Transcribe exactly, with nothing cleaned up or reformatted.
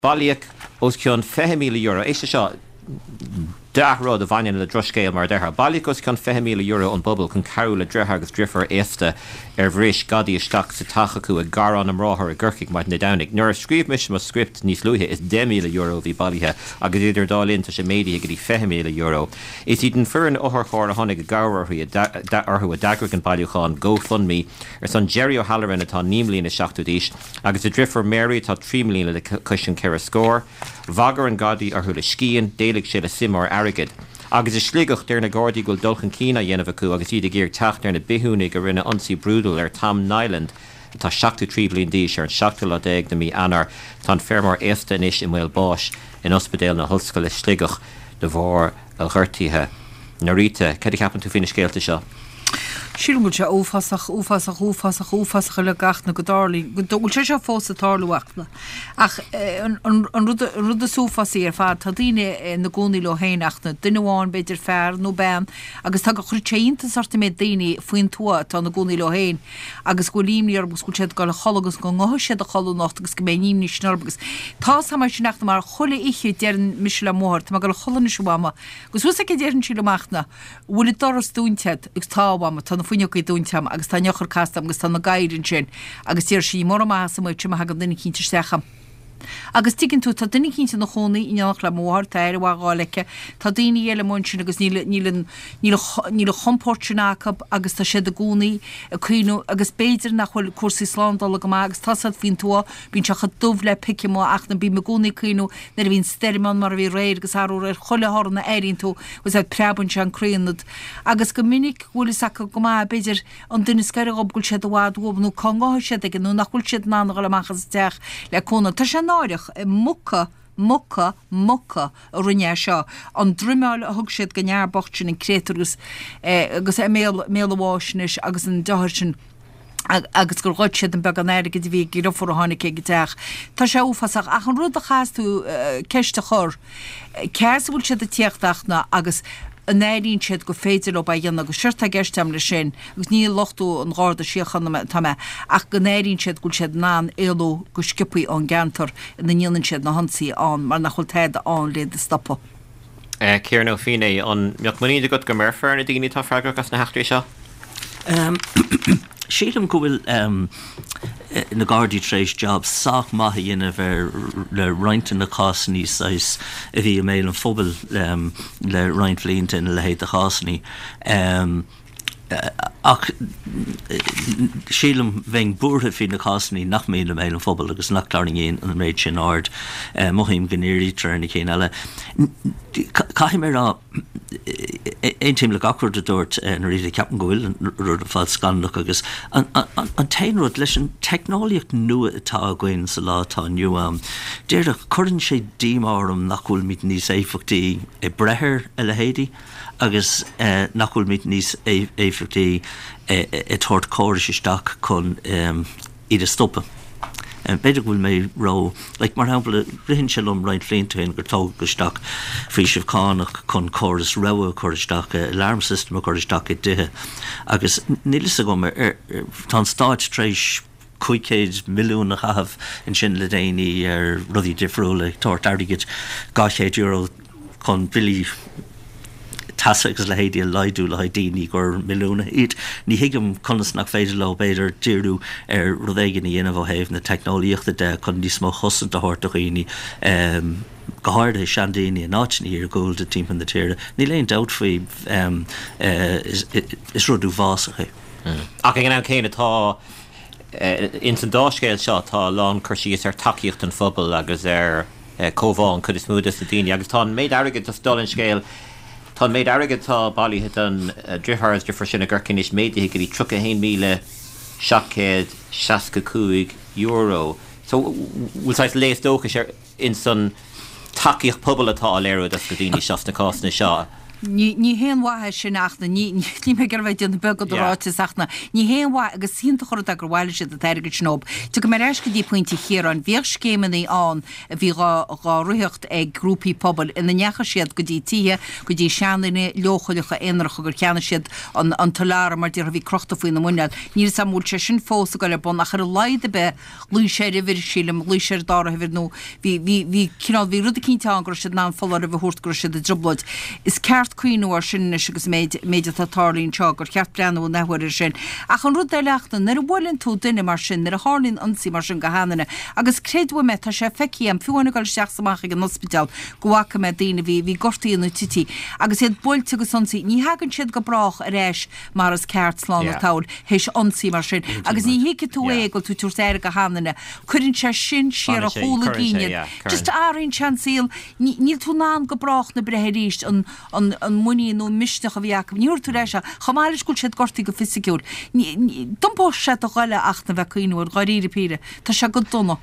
Bailíodh os cionn fiche míle euro. Éist leis seo, dea-rud a bhaineann le drochscéal mar a déarfá. Bailíodh os cionn fiche míle euro ón bpobal chun cabhrú le deartháir agus deirfiúr aosta ar bhris gadaí isteach sa teach acu i nGarrán na mBráthar i gCorcaigh maidin Dé Domhnaigh. Nuair a scríobh mise mo script níos luaithe is deich míle euro a bhí bailithe agus idir an dá linn tá sé méadaithe go dtí fiche míle euro. Is iad an foireann otharchairr a tháinig i gcabhair orthu a d'eagraigh an bailiúchán GoFundMe ar son Jerry O'Halloran atá naoi mbliana is seachtó d'aois agus a dheirfiúr Mary atá trí mbliana le cois an ceithre scór. Bhagair an gadaí orthu le scian, d'éiligh sé le suim mór airgid. Agus i Sligeach, deir na Gardaí go bhfuil dul chun cinn á dhéanamh acu agus iad ag iarraidh teacht ar na bithiúnaigh a rinne ionsaí brúidiúil ar Tom Niland atá seachtó trí bliain d'aois ar an seachtú lá déag de mhí Eanáir. Tá an feirmeoir aosta anois i mbaol báis in Ospidéal na hOllscoile Sligeach de bharr a ghortuithe. Norita, cad a cheapann tú faoi na scéalta seo? Sílim go bhfuil sé uafásach, uafásach, uafásach, uafásach uilig Fhachtna go dtarlaíonn, go bhfuil sé seo fós ag tarlú Fhachtna. Ach an rud, an rud is uafásaí ar fad, tá daoine ina gcónaí leo féin Fhachtna, duine amháin, b'fhéidir fear nó bean, agus tá go chuireann sé iontas ort an méid daoine faoin tuath atá ina gcónaí leo féin agus go bhfuil imní orthu agus go bhfuil siad ag dul a chodladh agus go ngabhfaidh siad a chodladh anocht agus go mbeidh an imní sin orthu agus tá a fhios agam é sin Fhachtna mar chuile oíche deireann mise le mo mháthair, tá mé ag dul a chodladh anois a mhama agus thuas aici deireann sí liom Fhachtna, bhfuil an doras dúnta agat agus tá a mhama, tá na fuinneogaí dúnta agam agus tá an eochair casta agam agus tá na gadhair ansin agus deir sí mura maith as amuigh má thagann duine eicínt isteach agam. Agus tuigeann tú, tá duine eicínt ina chónaí in éineacht le mo mháthair, tá aire mhaith á fháil aici, tá daoine eile amuigh ansin agus níl, níl an, níl an, níl an chompóirt sin acu agus tá siad i gcónaí ag cuimhniú agus b'fhéidir nach bhfuil cúrsaí slándála go maith agus tá siad faoin tuath, bíonn sé chomh dubh le pic amuigh ach na bím i gcónaí ag cuimhniú nuair a bhíonn stoirm ann mar a bhí aréir agus arú aréir chuile thorann a airíonn tú agus é preabann sé an croí ionat agus go minic go bhfuil fhios acu go maith b'fhéidir an duine is gaire dhób go bhfuil siad i bhfad uathub nó cá ngabhfaidh siad aige nó nach bhfuil siad in ann a dhul amach as an teach le cúnamh. Tá sé náireach, muca, muca, muca a rinne é seo. An droimeáil a thug siad don fhear bocht sin an créatúr agus agus é i mbéal, mbéal a bháis anois agus an deartháir sin agus gur ghoid siad an beagán airgid a bhí ag a dheirfiúr a tháinig ag an teach. Tá sé uafásach. Ach an rud a chaithfeas tú ceist a chur, cé as a bhfuil siad ag tíocht Fhachtna agus an airíonn siad gur féidir leo é a dhéanamh agus séard atá i gceist agam leis sin, agus ní ag lochtú an Gharda Síochána atá mé, ach go n-airíonn siad go bhfuil siad in ann éalú go sciobthaí ón gceantar ina ndéanann siad na hionsaithe ann mar nach bhfuil tada ann le iad a stopadh. Ciarán Ó Feinneadha, an mbeadh muinín agat go mbéarfar ar na daoine atá freagrach as na heachtraí seo? Sílim go bhfuil na Gardaí tar éis jab sách maith a dhéanamh ar le roinnt de na cásanna saghas a bhí i mbéal an phobail le roinnt bhlianta ina leithéid de chásanna. Ach sílim bheinn buartha faoi na cásanna nach mbíonn i mbéal an phobail agus nach dtarraingíonn an méid sin aird. Mothaím go ndírítear ar na cinn eile. Caithfidh mé a rá, aontaím le gach rud a dúirt Norita, ceapaim go bhfuil an rud ar fad scannalach agus an t-aon rud, leis an teicneolaíocht nua atá againn sa lá atá inniu ann, déarfadh, cuireann sé díomá orm nach bhfuilimid níos éifeachtaí ag breith ar a leithéidí agus nach bhfuilimid níos éifeachtaí ag tabhairt córais isteach chun iad a stopadh. B'fhéidir go bhfuil mé ró, like, mar shampla, ritheann sé liom roinnt blianta ó shin gur tógadh isteach faoiseamh cánach chun córas rabhaidh a chur isteach, alarm system a chur isteach i dtithe agus níl fhios agam ar, tá an Stát tar éis cúig chéad milliún a chaitheamh ansin le déanaí ar rudaí difriúla, ag tabhairt airgid dhá chéad euro chun billí teasa agus a leithéidí a laghdú le haghaidh daoine gur milliúnaithe iad. Ní thuigim conas nach féidir leo, b'fhéidir, díriú ar rud éigin a dhéanamh ó thaobh na teicneolaíochta de chun níos mó chosaint a thabhairt do dhaoine, go háirithe seandaoine in áiteanna iargúlta timpeall na tíre. Níl aon dabht faoi, is rud uafásach é. Ach ag an am céanna tá, ins an dá scéal seo, tá a lán cur síos ar tacaíocht an phobail agus ar comhbhá an chuid is mó des na daoine agus tá an méid airgid, just dála an scéil, tá an méid airgid atá bailithe don driotháir is driofúr sin i gCorcaigh anois méadaithe go dtí tríocha a haon míle seacht gcéad seasca cúig euro. So bhfuil saghas léas dóchais ar ins an tacaíocht pobail atá á léiriú dos na daoine seo sna cásanna seo? Ní ní haon mhaith é sin ach na ní ní mé gur bheith déanamh beag de ráiteas ach na ní haon mhaith agus is iontach an rud é gur bhailigh siad an t-airgead sin ób. Tiocfaidh mé ar ais go dtí pointe Chiaráin. Bhíodh scéimeanna ann a bhí dhá dhá ritheacht ag grúpaí pobail ina ndeachaigh siad go dtí tithe, go dtí seandaoine leochaileacha aonaracha gur cheannaigh siad an an t-soláthar mar déarfá a bhí crochta faoina muineál. Níl 'fhios a'm an bhfuil sé sin fós ag dul ar bun ach ar a laghad ar bith ghlaoigh sé ar uimhir, sílim, ghlaoigh sé ar an dara huimhir nó bhí bhí bhí cineál bhí rud eicínt ann go raibh siad in ann foláireamh a thabhairt go raibh siad i dtrioblóid. Is ceart cuimhniú air sin anois agus an méid méid atá tarlaithe anseo gur cheart breathnú an athuair air sin. Ach an rud eile ach ná nuair a bhuaileann tú duine mar sin, nuair a tharlaíonn ionsaí mar sin go sheanduine, agus creid uaim é, tá sé feicthe a'm, fiú amháin ag dul isteach is amach ag an ospidéal, go bhfaca mé daoine a bhí bhí gortaithe nó tite agus iad buailte agus ionsaithe, ní thagann siad go brách ar ais mar is ceart slán an tsamhail théis ionsaí mar sin. Agus ní thuigfidh tú é go bhfuil tú ag tabhairt aire do sheanduine. Cuireann sé sin siar ar chúl a gcinn iad. Just athraíonn sé an saol. Níl tú in ann go brách na breithe arís an an an muinín nó an misneach a bhí acu. Ní thabharfaidh tú ar ais é. Chomh maith leis go bhfuil siad gortaithe go fisiciúil. D'iompódh sé do ghoile ach na bheith ag cuimhniú air, dháiríre píre. Tá sé go dona.